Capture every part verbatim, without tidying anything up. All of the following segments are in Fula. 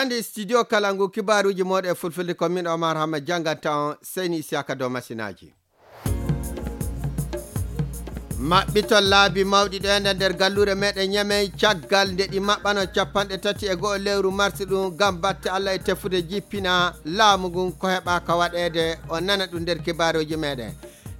Andi studio kala ngu kibaaruuji mooɗon e fulfulde, ko min Omar Hamma jannganta on, Seyni Isiyaka dow masinaaji. Maɓɓitol laabi mawɗi ɗo enen nder galluure meɗen Ñamey, caggal nde ɗi maɓɓano capanɗe tati e go'o lewru mars ɗum, ngam batte Allah e tefude jippina laamu ngun, ko heɓaaka waɗeede, o nana ɗum nder kibaaruuji meɗen.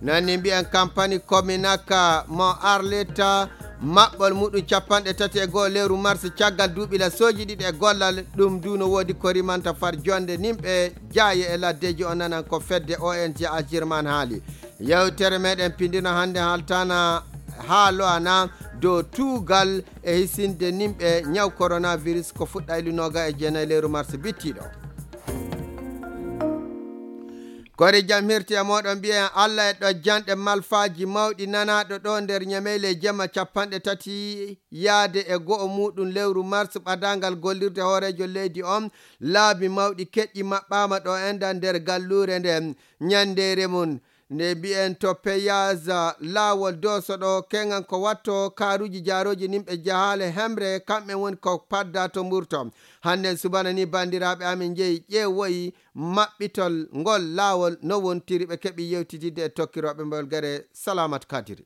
Non ni mbiyen kampani Kominaka mo Arleta, maɓɓol muɗum capanɗe tati e go'o lewru mars caggal duuɓi lasooji ɗiɗi e gollal, ɗum du no woodi ko rimanta far jonde nimɓe jaaye e laddeeji, o nanan ko fedde O N G Agirman haali. Yewtere meɗen pindino hannde haltana haa lo'ana dow tuugal e hisinde nimɓe ñaw coronavirus ko fuɗɗa ilu nooga e jeenayi lewru mars bittiɗo. Kori jam hirti e mooɗon, mbiyen Allah e ɗojjanɗe malfaaji mawɗi nanaaɗo ɗo nder Ñameyle jemma capanɗe tati yaade e go'o muɗum lewru mars ɓadaangal gollirde hooreejo leydi on, laabi mawɗi keƴƴi maɓɓaama ɗo enda nder galluure nden. Ñanndeere mum nde mbiyen to peyaas laawol dooso ɗo keŋan ko watto kaaruuji jaarooji nimɓe jahaale hemre, kamɓe woni ko padda to mburto. Hannden subana ni banndiraaɓe amin njehi ƴeewoyi maɓɓitol ngol laawol no wontiri, ɓe keɓi yewtididde e tokkirooɓe mbolgere Salamat Kadiri.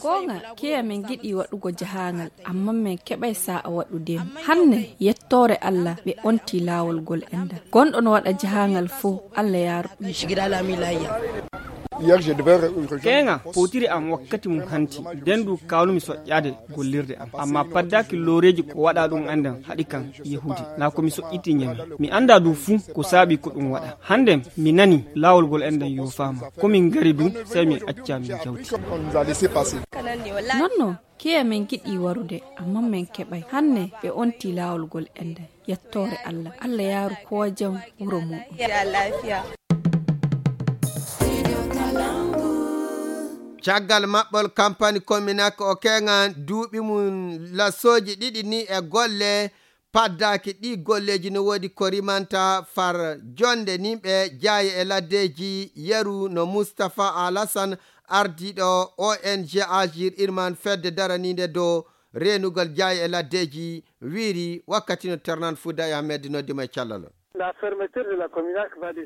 Goonga, kiya min ngiɗi waɗugo jahaangal, amma min keɓay saa'a waɗude. Hanne, yettoore Allah, ɓe onti laawol ngol enda. Gonɗo no waɗa jahaangal fow, Allah yaaru ɗum. Keeŋa, powtiri am wakkati mum hanti. Nden du kawnumi soƴƴaade gollirde am. Amma paddaaki looreeji ko waɗa ɗum enden haɗi kan yahude. Naa ko mi soƴƴiti Ñame. Mi anndaa du fuu ko saabi ko ɗum waɗa. Hannden mi nani laawol ngol enden yoofaama. Ko min ngari du, sey min acca min jawti. Non no, kiya min ngiɗi warude, amma min keɓay. Hanne ɓe onti laawol ngol enden. Yettoore Allah. Allah yaaru koo jam wuro muɗum. Caggal maɓɓol kampani Kominak o keŋan duuɓi mum lasooji ɗiɗi ni e golle, paddaaki ɗi golleeji no woodi ko rimanta far jonde nimɓe jaaye e laddeeji yeru no Mustapha Alasan, ardiiɗo O N G Agir Irman fedde daraniinde dow reenugol jaaye e laddeeji, wiiri wakkati no Ternan Fuuda e Ahmed noddi mo e callal.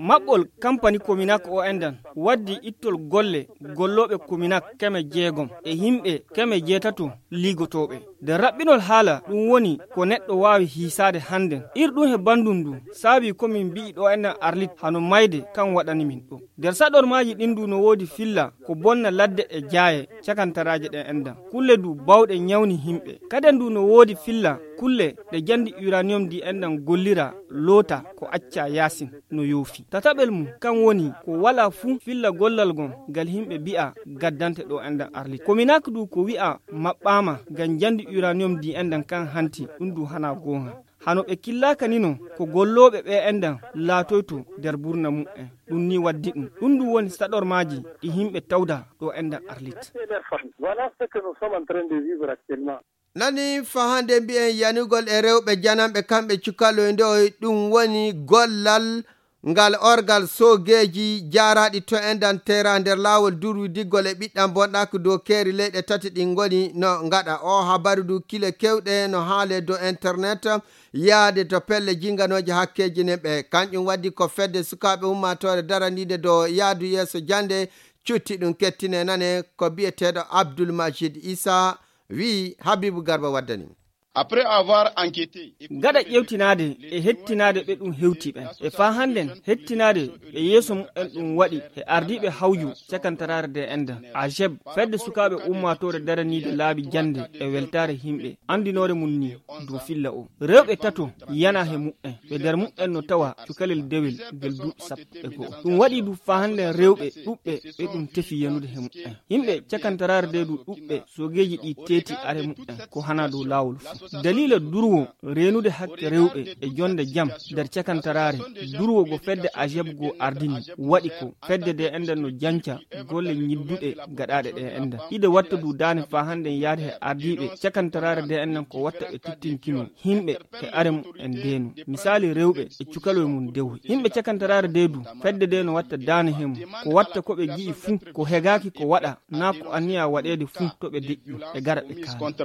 Maɓɓol kampani Kominak o endan waddi ittol golle gollooɓe Kominak keme jeegom e yimɓe keme jeetato liigotooɓe. Nder raɓɓinol haala ɗum woni ko neɗɗo waawi hiisaade hannden. Ir ɗum he banndum ndu saabi ko min mbi'i ɗo endan Arlit hano mayde kan waɗani min ɗum. Nder saɗormaaji ɗin du no woodi filla ko bonna ladde e jaaye cakantaraaje ɗen endan. Kulle du bawɗe ñawni yimɓe. Kaden du no woodi filla kulle ɗe jandi uranium di endan gollira loota ko acca yaasin no yoofi. Tataɓel mum kan woni ko wala fuu filla gollal gon ngal yimɓe bi'a gaddante ɗo endan Arlit. Kominak du ko wi'a maɓɓaama ngam jandi uranium di endan kan hanti, ɗum du hana goonga. Hano ɓe killaaka ni non ko gollooɓe ɓe endan laatoyto nder burna mu'en. Ɗum ni waddi ɗum. Ɗum du woni saɗormaaji ɗi yimɓe tawda ɗo endan Arlit. Voilà ce que nous sommes en train de vivre actuellement. Nani fahande mbi'en yanugol e rewɓe jananɓe kamɓe cukaloy ndoy, ɗum woni gollal ngal orgal soogeeji jaaraaɗi to endan tera nder laawol durwi diggol e ɓiɗɗan bonɗaaki dow keeri leyɗe tati ɗin ngoni no ngaɗa. O habaru du kile kewɗe no haale dow internet yaade to pelle jinganooje hakkeeji nen ɓe. Kanƴum waddi ko fedde sukaaɓe ummaatoore daraniinde dow yaadu yeeso jannde cutti ɗum kettine nane ko bi'eteeɗo Abdul Majid Isa wi'i Habibu Garba waddani. Après avoir enquêté, gaɗa ƴewtinaade e hettinaade ɓe ɗum hewti ɓen e faa hannden hettinaade ɓe yeeso mumen ɗum waɗi e ardiiɓe hawju cakantaraare de enda ajeb fedde sukaaɓe ummaatoore daraniide laabi jannde e weltaare yimɓe anndinoore mum ni dow filla o rewɓe tato yana he mumen ɓe nder mumen no tawa cukalel dewel ngel duuɓi sappo e go'o. Ɗum waɗi du faa hannden rewɓe ɗuɓɓe ɓe ɗum tefi yanude he mumen. Yimɓe cakantaraare de du ɗuɓɓe soogeeji ɗi teeti are mumen ko hana dow laawol fuu. Daliila durwo reenude hakke rewɓe e jonde jam nder cakantaraare durwo go fedde ajeb go ardini waɗi ko fedde de enden no janca golle ñidduɗe gaɗaaɗe ɗe enden. Ide watta du daane faa hannden yaade he ardiiɓe cakantaraare de enden ko watta ɓe tittinkino yimɓe he are mumen deenu. Misaali rewɓe e cukaloy mum dewoy. Yimɓe cakantaraare de du fedde de no watta daane he mum. Ko watta ko ɓe gi'i fuu ko hegaaki ko waɗa naa ko anniya waɗeede fuu to ɓe deƴƴi ɓe gara ɓe kaala.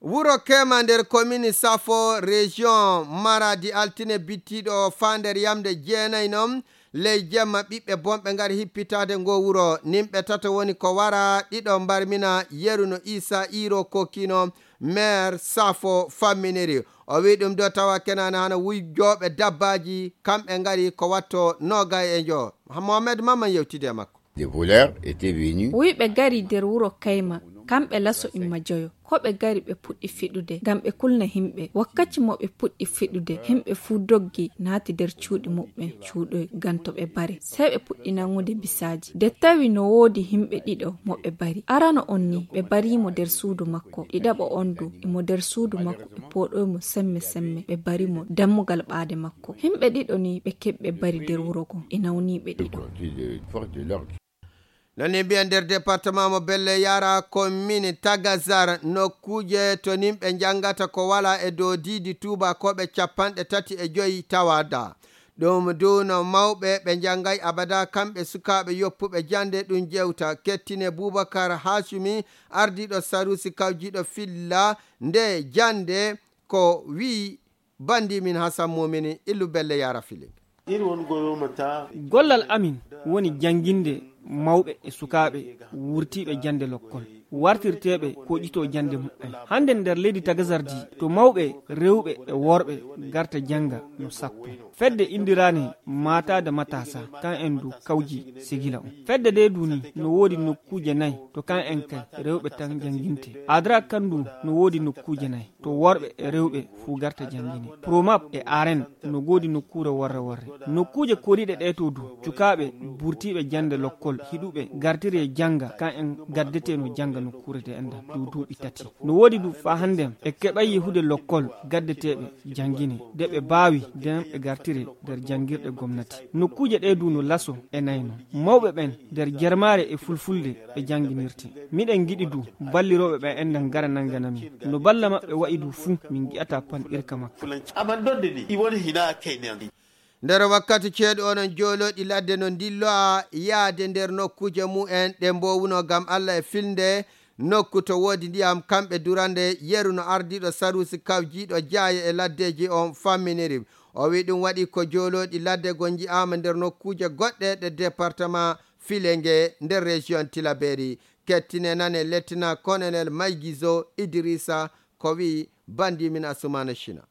Wuro Kema nder komini Safo, région Maradi, altine bittiiɗo o, faa nder yamnde jeenayi noon ley jemma, ɓiɓɓe bonɓe ngari hippitaade ngoo wuro. Nimɓe tato woni ko wara, ɗiɗo mbarmina, yeru no Isa Iro Kokino, maire Safo, famminiri. O wiyi ɗum ɗo tawa kenaane hano wujjooɓe dabbaaji, kamɓe ngari ko watto noogay e njo. Mohamed Maman yewtidi e makko. Des voleurs étaient venus. Wuyɓe gari nder wuro Kayma, kamɓe laso imma joyo. Ko ɓe gari ɓe puɗɗi fiɗude, ngam ɓe kulna himɓe. Wakkati mo ɓe puɗɗi fiɗude, himɓe fuu doggi naati nder cuuɗi muɓɓen, cuuɗoy, ngam to ɓe bare. Sey ɓe puɗɗi nangude bisaaji. Nde tawi no woodi himɓe ɗiɗo mo ɓe bari. Arano on ni, ɓe bari mo nder suudu makko. Ɗiɗaɓo on du, imo nder suudu makko, ɓe pooɗoy mo semme semme, ɓe bari mo dammugal ɓaade makko. Himɓe ɗiɗo ni ɓe keɓi ɓe bari nder wuro go, e nawniiɓe ɗiɗo. Nani mbiya nder département mo Belle Yara, commune Tagazar, nokkuuje to nimɓe njangata ko wala e dow diidi tuubakooɓe capanɗe tati e joyi tawada. Ɗum du no mawɓe ɓe njangay abada, kamɓe sukaaɓe yoppuɓe jande ɗum jewta. Kettine Bubakar Hasumi, ardiiɗo Sarusi kawjiiɗo filla nde jande, ko wi'i bandi min Hasan Mumini, illu Belle Yara Filing. Gollal amin woni jannginde mawɓe e sukaaɓe wurtiiɓe jannde lokkol, wartirteeɓe koƴitoo jannde muɓɓen. Hannde nder leydi Tagazardi, to mawɓe rewɓe e worɓe garta jannga no sappo. Fedde inndiraane Mata da Matasa, kan en du kawji sigila on. Fedde nde du ni no woodi nokkuuje nay to kan en kay rewɓe tan jannginte. Adra kan du no woodi nokkuuje nay. To worɓe e rewɓe fuu garta janngine. Promap e Aren no goodi nokkuure worre worre. Nokkuuje koriiɗe ɗee to du, cukaaɓe burtiiɓe jannde lokkol hiɗuɓe gartiri e jannga, kan en gaddetee no jannga nokkuure de enɗan dow duuɓi tati. No woodi du faa hannden e keɓay yehude lokkol gaddeteeɓe janngine, de ɓe baawi den ɓe gartiri nder janngirɗe gomnati. Nokkuuje ɗee du no laso e nayno. Mawɓe ɓen nder jarmaare e fulfulde ɓe jannginirte. Miɗen ngiɗi du ballirooɓe ɓen enɗan ngara nangana min. No balla maɓɓe wa'i du fuu, min ngi'ataa panɗirka makka. Nder wakkati ceeɗu onon joolooɗi ladde no ndilloa yaade nder nokkuuje mu'en ɗe mboowuno ngam Alla e filnde nokku to woodi ndiyam, kamɓe durande yeru no ardiiɗo Sarusi kawjiiɗo jaaye e laddeeji on famminiri. O wi'i ɗum waɗi ko joolooɗi ladde go nji'aama nder nokkuuje goɗɗe ɗe département Filinge nder région Tilaberi. Kettine nane Lieutenant Colonel Maygizo Idrissa ko wi'i bandi min Asumana Shina.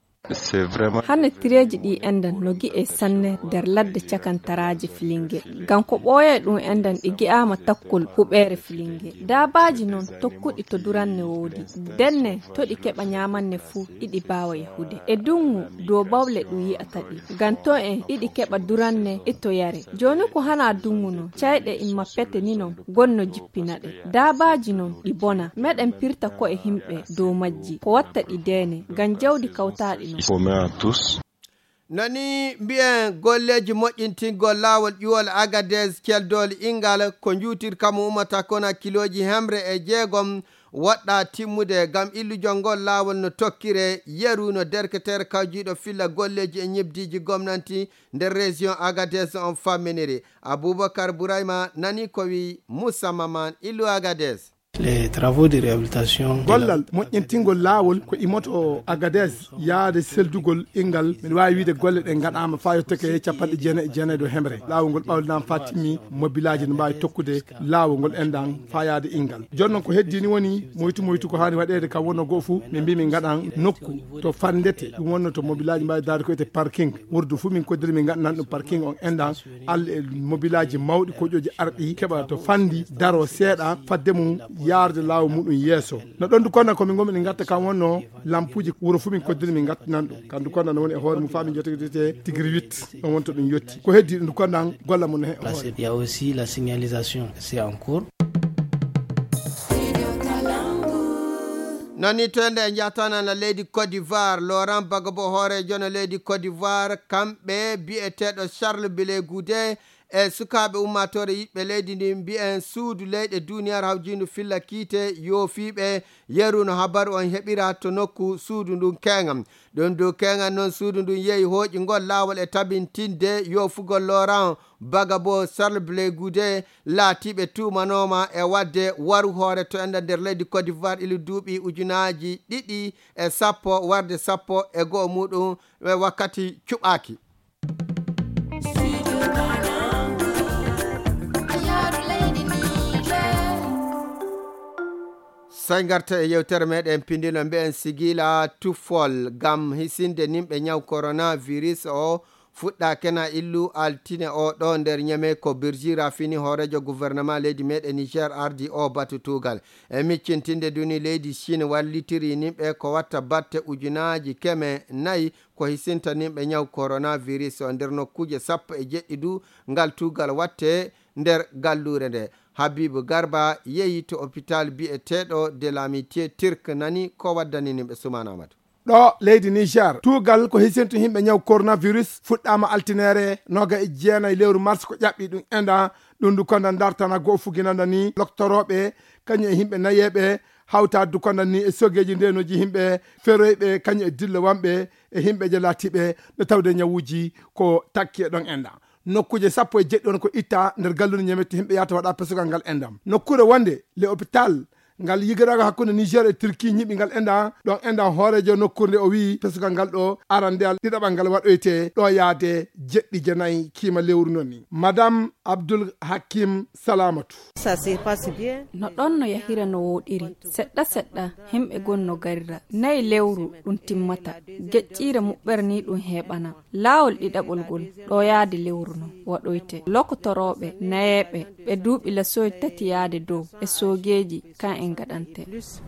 Hannde tireeji ɗi enɗan no gi'e sanne nder ladde cakantaraaji Filinge. Ngam ko ɓooyay ɗum enɗan ɗi gi'aama takkol huɓeere Filinge. Daabaaji non tokkuɗi to duranne woodi. Denne to ɗi keɓa nyaamanne fuu, iɗi baawa yahude. E duŋŋu dow bawle ɗum yi'ata ɗi. Ngam to en iɗi keɓa duranne e to yare. Jooni ko hana duŋŋu non, cayɗe imma pete ni non, gonno jippina ɗe. Daabaaji non ɗi bona. Meɗen pirta ko'e himɓe dow majji. Ko watta ɗi deene, ngam jawdi kawtaaɗi non. Nani mbi'en golleeji moƴƴintingol laawol ƴuwol Agadez Keldool Ingal ko njuutirka mo ummata kona kilooji hemre e jeegom woɗɗa timmude ngam illugol ngol laawol no tokkire yeru no derketeere kawjiiɗo filla golleeji e ñebdiiji gomnanti nder région Agadez on famminiri. Abubakar Burayma nani ko wi Moussa Maman illu Agadez. Les travaux de réhabilitation. Gollal moƴƴintingol laawol ko imoto Agadez yaade seldugol Ingal. Miɗo waawi wiide golle ɗe ngaɗaama faa yottake capanɗe jeenayi e jeenayi dow hemre. Laawol ngol ɓawlinaama faa timmi, mobilaaji no mbaawi tokkude laawol ngol enɗan faa yaade Ingal. Jooni noon ko heddii ni woni moytu moytu ko haani waɗeede kam wonno goo fuu, min mbii min ngaɗan nokku to fanndete. Ɗum wonno to mobilaaji mbaawi daade ko wiyetee parking. Wurdu fuu min koddiri min ngaɗanan ɗum parking on enɗan. Alla e mobilaaji mawɗi koƴooji arɗi keɓa to fanndi daro seeɗa fadde mum yaarde laawol muɗum yeeso. No ɗon du konna ko min ngommi min ngatta kam wonno lampuuji wuro fuu min koddiri min ngattinan ɗum. Kam du konna no woni e hoore mum faa min jottodirte tigiri huit. Ɗon wonto ɗum yotti. Ko heddii ɗum du konna golla mum no he hoore. Il y a aussi la signalisation, c'est en cours. Nani to ende e njahtanana leydi Côte d'Ivoire, Laurent Gbagbo hooreejo no leydi Côte d'Ivoire, kamɓe bi'eteeɗo Charles Blé Goudé e sukaaɓe ummaatoore yiɗɓe leydi ndi mbiyen suudu leyɗe duniyaaru hawjiindu filla kiite yoofiiɓe yeru no habaru on heɓira to nokku suudu ndun keeŋa. Ɗum dow keeŋa noon suudu ndun yehi hooƴi ngol laawol e tabintinde yoofugol Laurent Gbagbo Charles Blé Goudé laatiiɓe tuumanooma e waɗde waru hoore to enda nder leydi Côte d'Ivoire ilu duuɓi ujunaaji ɗiɗi e sappo warde sappo e go'o muɗum e wakkati cuɓaaki. Sey ngarta e yewtere meɗen pindino mbiyen sigila tufol ngam hisinde nimɓe ñaw coronavirus o fuɗɗaake na illu altine o ɗo nder ñeme ko Birjira fini hoorejo gouvernement leydi meɗen Niger ardi o batu tugal. E miccintinde duni leydi Chine wallitiri nimɓe ko watta batte ujunaaji keme nayi ko hisinta nimɓe ñaw coronavirus o nder nokkuuje sappo e jeɗɗi du ngal tugal watte nder galluure nde. Habibu Garba yehi to hôpital bi'eteeɗo de l'Amitié Turc nani ko waddani nimɓe Sumaana Amadu. Ɗo leydi Niger, tugal ko hisintu himɓe ñaw coronavirus fuɗɗama altinere noga e jeenayi lewru mars ko ƴaɓɓi ɗum enda ɗum du konda dartana goo fuginanda ni loktorooɓe kañum e himɓe nayeeɓe hawta du konda ni e sogeeji ndenoji himɓe feroyɓe kañum e dillowanɓe e himɓe je laatiɓe no tawde ñawuji ko takki e ɗon enda. Nokkuuje sappo e jeɗɗi on ko itta nder galluure ñamette himɓe yahata waɗa pesugal ngal endam. Nokkuure wonde le hôpital ngal yigiraago hakkunde Niger e Turquie ñiɓi ngal endan. Ɗon endan hooreejo nokkuure nde o wi'i pesugal ngal ɗo arandeyal ɗiɗaɓal ngal waɗoyte ɗo yaade jeɗɗi jenayi kiima lewru non ni. Madame Abdul Hakim Salamatu. Ça se passe bien. No ɗon no yahira no wooɗiri. Seɗɗa seɗɗa, himɓe gon no garira. Nayi lewru ɗum timmata. Geƴƴiire muɓɓere ni ɗum heɓana. Laawol ɗiɗaɓol ngol, ɗo yaade lewru no waɗoyte. Lokotorooɓe, nayeeɓe, ɓe duuɓi lasoy tati yaade dow, e soogeeji, kan en gaɗante.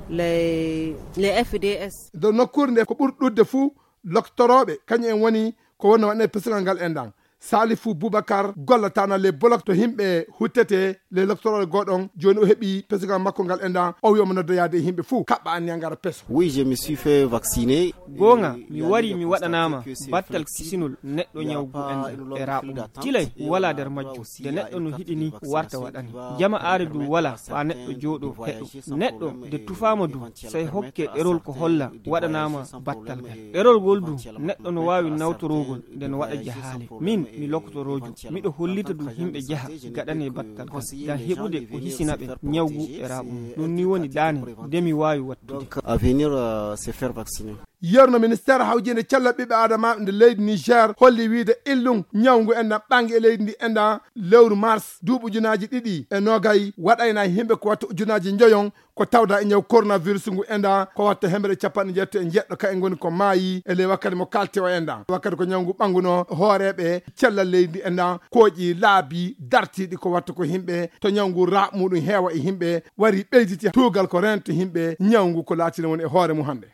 Les, les F D S. Dow nokkuure nde ko ɓuri ɗuuɗde fuu, loktorooɓe, kañum en woni ko wonno waɗne pesugal ngal endan. Salifu Boubacar gollataana les blocs to himɓe huttete les loktorooɓe goɗon, jooni o heɓi pesugal makko ngal endan, o wi'oma nodda yaade e himɓe fuu, kaɓɓa anniya ngara peso. Oui, je me suis fait vacciner. Goonga, mi wari mi waɗanaama battal kisinol neɗɗo ñawgu enɗam e raaɓo mum. Tilay walaa nder majjum. Nde neɗɗo no hiɗi ni warta waɗani. Jama aare du walaa faa neɗɗo jooɗo heɗo. Neɗɗo nde tufaama du, sey hokke ɗerol ko holla waɗanaama battal ngal. Ɗerol ngol du, neɗɗo no waawi nawtorogol nde no waɗa jahaale. Min, mi lokotoroojo, miɗo hollita du himɓe jaha gaɗane battal ngal. Ngam heɓude ko hisina ɓe ñawgu e raaɓo mum. Ɗum ni woni daane nde mi waawi wattude. Donc, à venir, euh, se faire vacciner. Yerno ministeer hawjinde cellal ɓiɓɓe adama nde leydi Niger holli wiide illum ñawngu enɗam ɓangi e leydi ndi enɗam lewru mars duuɓi ujunaaji ɗiɗi e noogay waɗayna e yimɓe ko watta ujunaaji njoyon ko tawda e ñaw coronavirus ngu enɗam ko watta hemre capanɗe jeetati e jeɗɗo ka en ngoni ko maayi e ley wakkati mo kalte o enɗam wakkati ko ñawngu ɓanguno hooreeɓe cellal leydi enɗam kooƴi laabi dartiiɗi ko watta ko yimɓe to ñawngu raaɓ muɗum heewa e yimɓe wari ɓeyditi tuugal ko rento yimɓe ñawngu ko laatino woni e hoore mum hannde.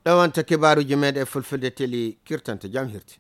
Ɗo wonta kibaaruuji meeɗen e fulfulde teli kirtanta jam hirti.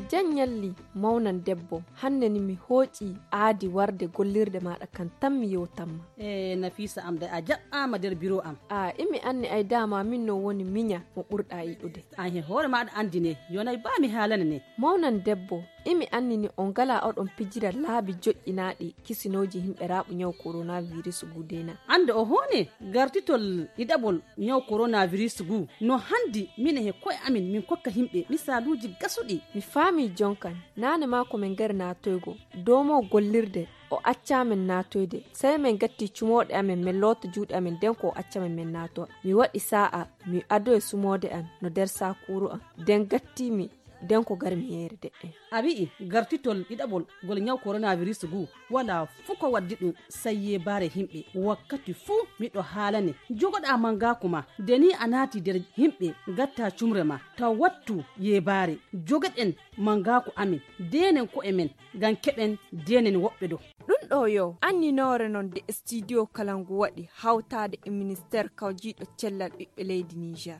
Jan ñalli mawnan debbo, hannde ni mi hooƴi aadi warde gollirde maaɗa kan tan mi yewtanma. E Nafisa am de a jaɓɓaama nder biro am. A imi anni ay dama min no woni miña mo ɓurɗa yiɗude. An he hoore maaɗa anndine, yonay ba mi haalane ne. Mawnan debbo, imi anni ni on ngala oɗon pijira laabi joƴƴinaaɗi kisinooji himɓe raaɓu ñaw coronavirus gudena. Annde o hoone gartitol ɗiɗaɓol ñaw coronavirus gu no hanndi minen he ko'e amin min kokka yimɓe misaaluuji gasuɗi. Mi faami jonkan, naane maa ko min ngari naatoygo, doomo gollirde, o accaa min naatoyde. Sey min gatti cumooɗe amin, min loota juuɗe amin, nden ko o acca min min naatowa. Mi waɗi saa'a, mi adoyi sumoode an no nder saakuuru an. Nden gatti mi, nden ko gar mi yeere de'en. A wi'i gartitol ɗiɗaɓol ngol ñaw coronavirus gu walaa fuu ko waddi ɗum sey yeebaare yimɓe. Wakkati fuu miɗo haalane, jogoɗaa mangaaku ma, nde nii a naati nder yimɓe, ngattaa cumre ma, taw wattu yeebaare. Jogoɗen mangaaku amin, ndeenen ko'e men, ngam keɓen ndeenen woɓɓe ɗo. Ɗum ɗo yo anninoore non nde studio kala ngu waɗi hawtaade e ministeer kawjiiɗo cellal ɓiɓɓe leydi Niger.